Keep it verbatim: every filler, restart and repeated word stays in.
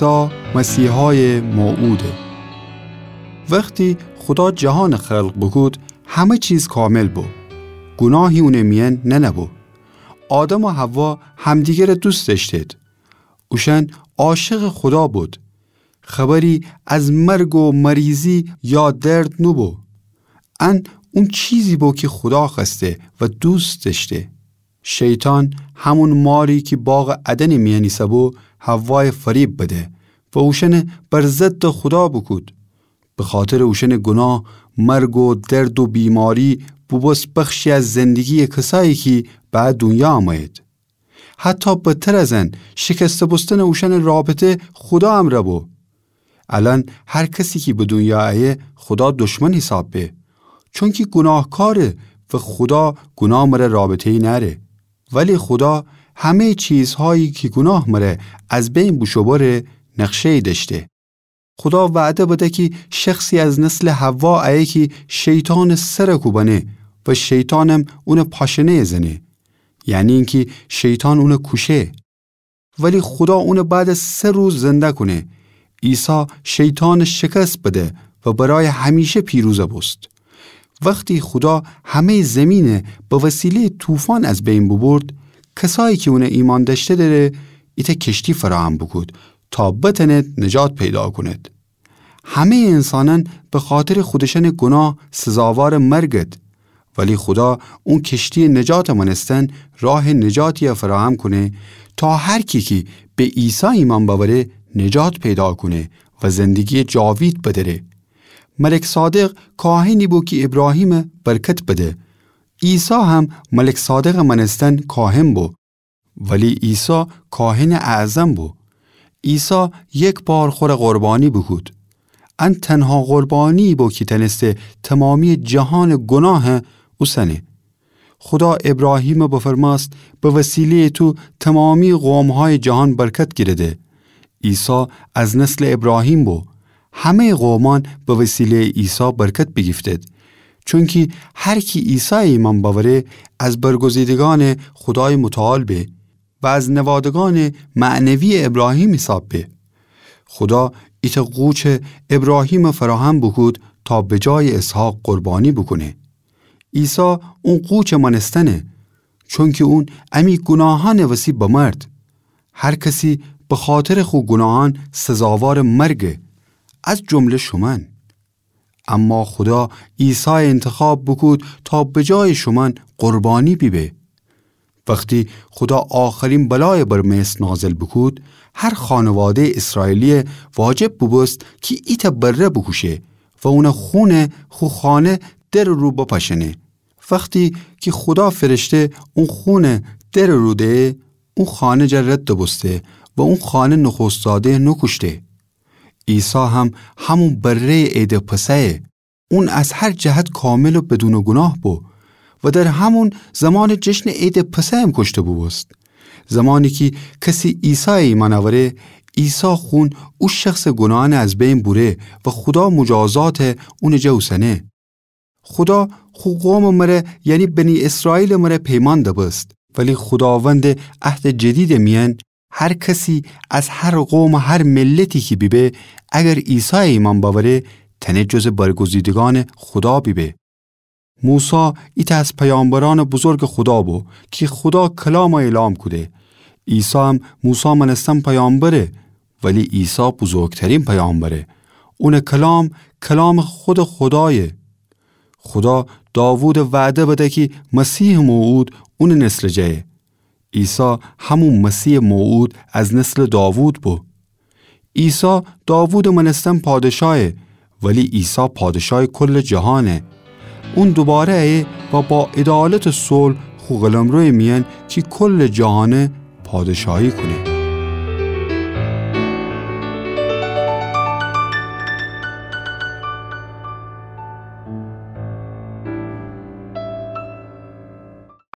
عیسی مسیحای موعوده. وختی خودا جهانٚ خلق بوکود، همه چیز کامل بو. گوناهی اونٚ میأن ننه‌بو. آدم و حوا همدیگرٚ دوست دأشتید. اوشأن عاشقٚ خودا بود. خبری از مرگ و مریضی یا درد نوبو. ان اون چیزی بو کی خودا خوأسته و دوست دأشته. شیطان، همون ماری کی باغٚ عدنٚ میأن ایسه‌بو، حوایَ فریب بده و اوشأنَ بر ضدٚ خودا بوکود. بخاطرٚ اوشأنٚ گوناه، مرگ و درد و بیماری بوبوست بخشی از زندگی‌یٚ کسایی کی به دونیا امه‌یید. حتی بدتر از ان، شکسته بوستنٚ اوشأنٚ رابطه خودا امرأ بو. الأن هر کسی کی به دونیا ایه، خودا دشمن حیساب به. چونکی گوناهکاره و خودا گوناه مره رابطه‌یی نأره. ولی خودا همه‌یٚ چیزهایی کی گوناه مره از بین بوشوبأره، نقشه‌یی دأشته. خودا وعده بده کی شخصی از نسلٚ حوا ایه کی شیطانٚ سرَ کوبأنه و شیطانم اونٚ پاشنه‌یَ زنه. یعنی اینکی شیطان اونَ کوشه. ولی خودا اونَ بعد از سه روز زنده کونه. عیسی شیطانَ شکست بده و برای همیشه پیروز بوست. وختی خودا همه‌یٚ زمینَ به وسیله‌یٚ طوفان از بین بوبورد، کسایی کی اونَ ایمأن دأشته‌دره، ایتأ کشتی فراهم بوکود تا بتأنید نجات پیدا کونید. همه‌یٚ انسانأن بخاطرٚ خودشأنٚ گوناه سزاوارٚ مرگید. ولی خودا اون کشتی‌یٚ نجاتٚ مأنستن راهٚ نجاتی‌یَ فراهم کونه تا هر کی کی به عیسی ایمأن بأوره نجات پیدا کونه و زندگی‌یٚ جاوید بدأره. ملک صادق کاهنی بو کی ایبراهیمَ برکت بده. عیسی هم ملک صادقٚ مأنستن کاهن بو. ولی عیسی کاهنٚ اعظم بو. عیسی یک بار خور قربانی بوکود. ان تنها قربانی بو کی تأنسته تمامی‌یٚ جهانٚ گوناه اوسنه. خودا ایبراهیمَ بفرمأست: به وسیله‌یٚ تو تمامی‌یٚ قوم‌هایٚ جهان برکت گیرده. عیسی از نسلٚ ایبراهیم بو. همه‌یٚ قومأن به وسیله‌یٚ عیسی برکت بیگیفتید. چونکی هر کی عیسایَ ایمأن بأوره، از برگزیدگأنٚ خودایٚ متعال به و از نوادگأنٚ معنوی‌یٚ ایبراهیم حیساب به. خودا ایتأ قوچٚ ایبراهیمَ فراهم بوکود تا به جایٚ اسحاق قربانی بوکونه. عیسی اون قوچٚ مأنستنه، چونکی اون امی گوناهأنٚ وسی بمرد. هر کسی بخاطرٚ خو گوناهأن سزاوارٚ مرگه، از جمله شومأن. اما خودا عیسایَ اینتخاب بوکود تا به جایٚ شومأن قربانی بیبه. وختی خودا آخرین بلایَ بر مصر نازل بوکود، هر خانواده‌یٚ اسرائیلی‌یَ واجب بوبوست کی ایتأ بره بوکوشه و اونٚ خونَ خو خانه درٚ رو بپاشأنه. وختی کی خودا فرشته اون خونَ درٚ رو دهه، اون خانه جا رد بوسته و اون خانه نخوست‌زاده‌یَ نوکوشته. عیسی هم همون بره‌یٚ عیدٚ پسحه. اون از هر جهت کامل و بدونٚ گوناه بو و در همون زمانٚ جشنٚ عیدٚ پسحم کوشته بوبوست. زمانی کی کسی عیسایَ ایمأن اوره، عیسی خون او شخصٚ گوناهأنَ از بین بوره و خودا مجازاتَ اونٚ جا اوسنه. خودا خو قومٚ مره، یعنی بنی اسرائیلٚ مره پیمان دبست، ولی خوداوندٚ عهدٚ جدیدٚ میأن هر کسی از هر قوم و هر ملتی کی بیبه، اگر عیسایَ ایمأن بأوره، تأنه جزٚ برگزیدگأنٚ خودا بیبه. موسی ایتأ از پیامبرأنٚ بزرگٚ خودا بو کی خودا کلامَ اعلام کوده. عیسی هم موسی مأنستن پیامبره، ولی عیسی بزرگترین پیامبره. اونٚ کلام، کلامٚ خودٚ خودایه. خودا داوودَ وعده بده کی مسیحٚ موعود اونٚ نسلٚ جایه. عیسی همون مسیحٚ موعود از نسلٚ داوود بو. عیسی داوودٚ مأنستن پادشاهه، ولی عیسی پادشایٚ کلٚ جهانه. اون دوباره ایه و با عدالت و صلح خو قلمرو میأن کی کلٚ جهانه پادشاهی کونه.